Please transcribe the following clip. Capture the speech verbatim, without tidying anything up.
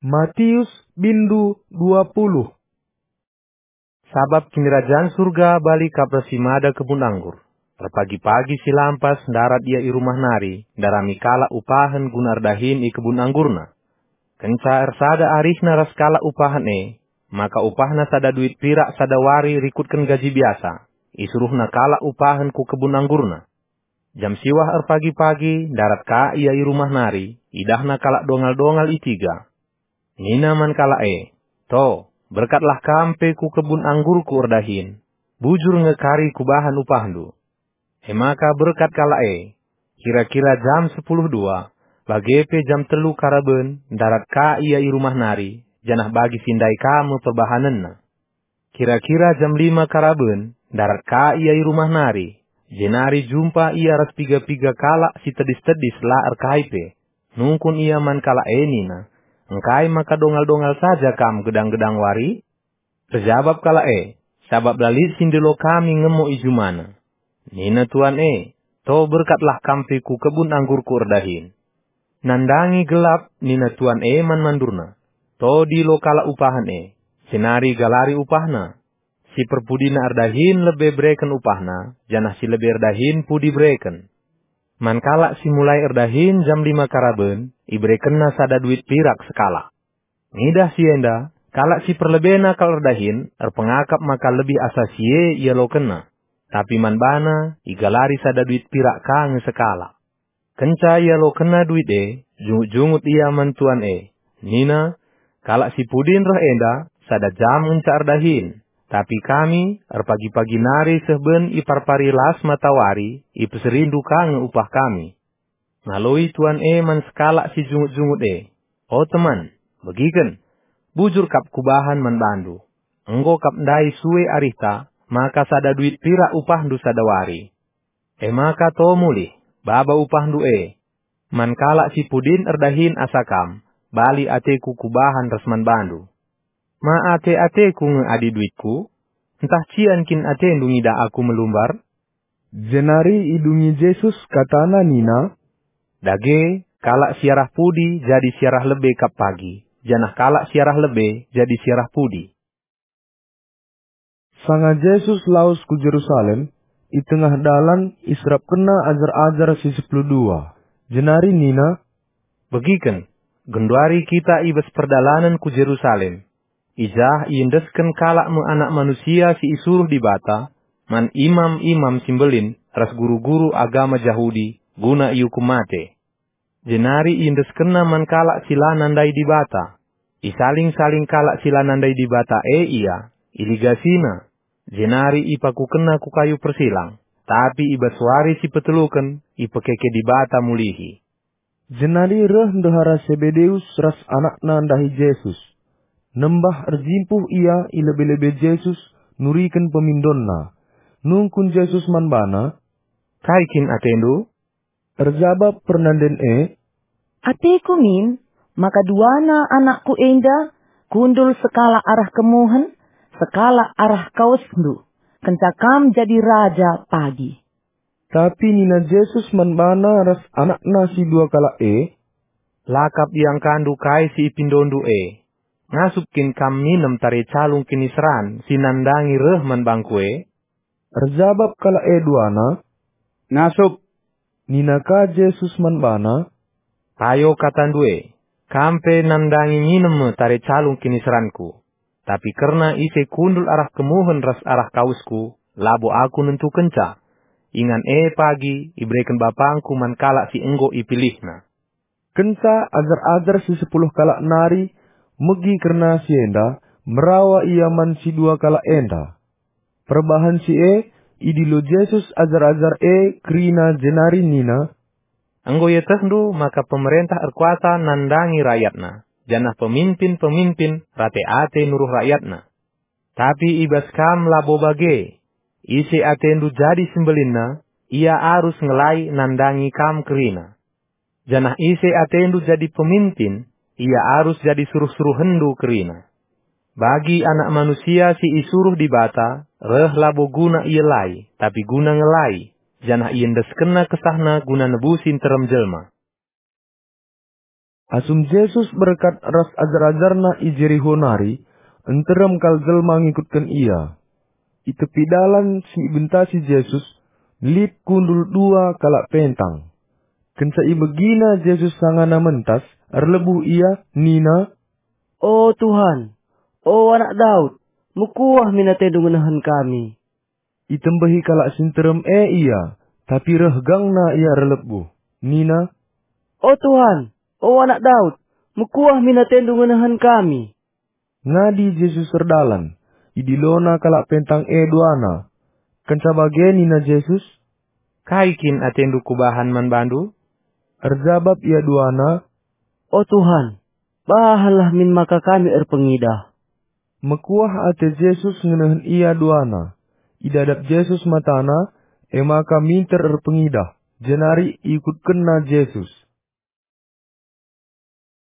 Matius bindu dua puluh. Sabap Kinirajan Surga bali kap ras si mada kebun anggur. Erpagi-pagi si lampas ndarat ia i rumah nari, ndarami kalak upahen guna erdahin i kebun anggurna. Kenca ersada arihna ras kalak upahen e, maka upahna sada duit pirak sada wari rikutken gaji biasa, isuruhna kalak upahen ku kebun anggurna. Jam siwah erpagi-pagi ndarat ka ia i rumah nari, idahna kalak dongal-dongal i tiga. Nina man kalak e, "To, berkatlah kam pe ku kebun anggurku erdahin. Bujur nge kari kubahan upahndu." E maka berkat kalak e. Kira-kira jam sepuluh dua, bage pe jam telu karaben, ndarat ka ia i rumah nari, janah bagi si ndai ka me perbahanenna. Kira-kira jam lima karaben, ndarat ka ia i rumah nari, jenari jumpa ia ras piga-piga kalak si tedis-tedis la erkai pe. Nungkun ia man kalak e nina, "Engkai maka dongal-dongal saja kam gedang-gedang wari?" Erjabap kalak e, "Sabap la lit si ndilo kami ngemo i jumana." Nina tuan e, "To berkatlah kam pe ku kebun anggurku erdahin." Nandangi gelap, nina tuan e man mandurna, "To dilo kalak upahen e, jenari galari upahna. Si perpudina erdahin lebe bereken upahna, janah si lebe erdahin pudi bereken." Man kalak si mulai erdahin jam lima karaben, iberekenna sada duit pirak sekalak. Ngidah si enda, kalak si perlebena kal erdahin erpengakap maka lebih asa si e ialokenna. Tapi man bana igalari sada duit pirak ka nge sekalak. Kenca ialokenna duit e, jungut-jungut ia man tuan e. Nina, "Kalak si pudin reh enda, sada jam ngenca erdahin. Tapi kami, erpagi-pagi nari seh ben iparpari las matawari, ipeserindu ka nge upah kami." Ngaloi tuan e man sekalak si jungut-jungut e, "O teman, begiken, bujur kap kubahan man bandu. Enggo kap ndai sue arihta, maka sada duit pirak upahndu sada wari. E maka to mulih, baba upahndu e. Man kalak si pudin erdahin asa kam, bali ateku kubahan ras man bandu. Ma ate-ateku nge adi duitku? Ntah cian kin atendu ngidah aku melumbar?" Jenari idungi Jesus katana nina, "Dage, kalak si arah pudi jadi si arah lebe kap pagi, janah kalak si arah lebe jadi si arah pudi." Sanga Jesus lawes ku Jerusalem, i tengah dalan iserapkenna ajar-ajar si sepuluh dua, jenari nina, "Begiken, genduari kita i bas perdalanen ku Jerusalem. I jah iendesken kalak me Anak Manusia si isuruh Dibata man imam-imam si mbelin ras guru-guru agama Jahudi guna iukum mate. Jenari iendeskenna man kalak si la nandai Dibata. Isaling-saling kalak si la nandai Dibata e ia, iligasina, jenari ipakukenna ku kayu persilang, tapi i bas wari si peteluken ipekeke Dibata mulihi." Jenari reh ndehara Sebedeus ras anakna ndahi Jesus. Nembah erjimpuh ia i lebe-lebe Jesus nuriken pemindonna. Nungkun Jesus man bana, "Kai kin atendu?" Erjabap pernanden e, "Ateku min maka duana anakku enda kundul sekalak arah kemuhen, sekalak arah kawesndu, kenca kam jadi raja pagi." Tapi nina Jesus man bana ras anakna si dua kalak e, "La kap iangkandu kai si ipindondu e. Ngasup kin kam minem tare calung kiniseran si nandangi reh man bangku e?" Erjabap kalak e duana, "Ngasup." Nina ka Jesus man bana, "Payo katandu e, kam pe nandangi minem me tare calung kiniseranKu. Tapi kerna ise kundul arah kemuhen ras arah kawesKu, labo Aku nentukenca. Ingan e pagi ibereken BapangKu man kalak si enggo ipilihNa." Kenca ajar-ajar si sepuluh kalak nari megi kerna si enda, merawa ia man si dua kalak enda. Perbahan si e, idilo Jesus ajar-ajar e kerina jenari nina, "Enggo ietehndu maka pemerentah erkuasa nandangi rayatna, janah peminpin-peminpin rate ate nuruh rayatna. Tapi i bas kam labo bage. Ise atendu jadi si mbelinna, ia arus ngelai nandangi kam kerina. Janah ise atendu jadi peminpin, ia arus jadi suruh-suruhenndu kerina. Bagi Anak Manusia si isuruh Dibata reh labo guna ielai, tapi guna ngelai, janah iendeskenNa kesahNa guna nebusi nterem jelma." Asum Jesus berkat ras ajar-ajarNa i Jeriho nari, nterem kal jelma ngikutken IA. I tepi dalan si ibentasi Jesus, lit kundul dua kalak pentang. Kenca ibegina Jesus sangana mentas, erlebuh ia, nina, "O Tuhan, o Anak Daud, mekuah min atendu ngenehen kami." Itembehi kalak si nterem e ia, tapi reh gangna ia erlebuh, nina, "O Tuhan, o Anak Daud, mekuah min atendu ngenehen kami." Ngadi Jesus erdalan, idilona kalak pentang e duana. Kenca bage nina Jesus, "Kai kin atendu kubahan man bandu?" Erjabap ia duana, "O Tuhan, bahanlah min maka kami erpengidah." Mekuah ate Jesus ngenehen ia duana. Idadap Jesus matana, e maka minter erpengidah, jenari ikutkenna Jesus.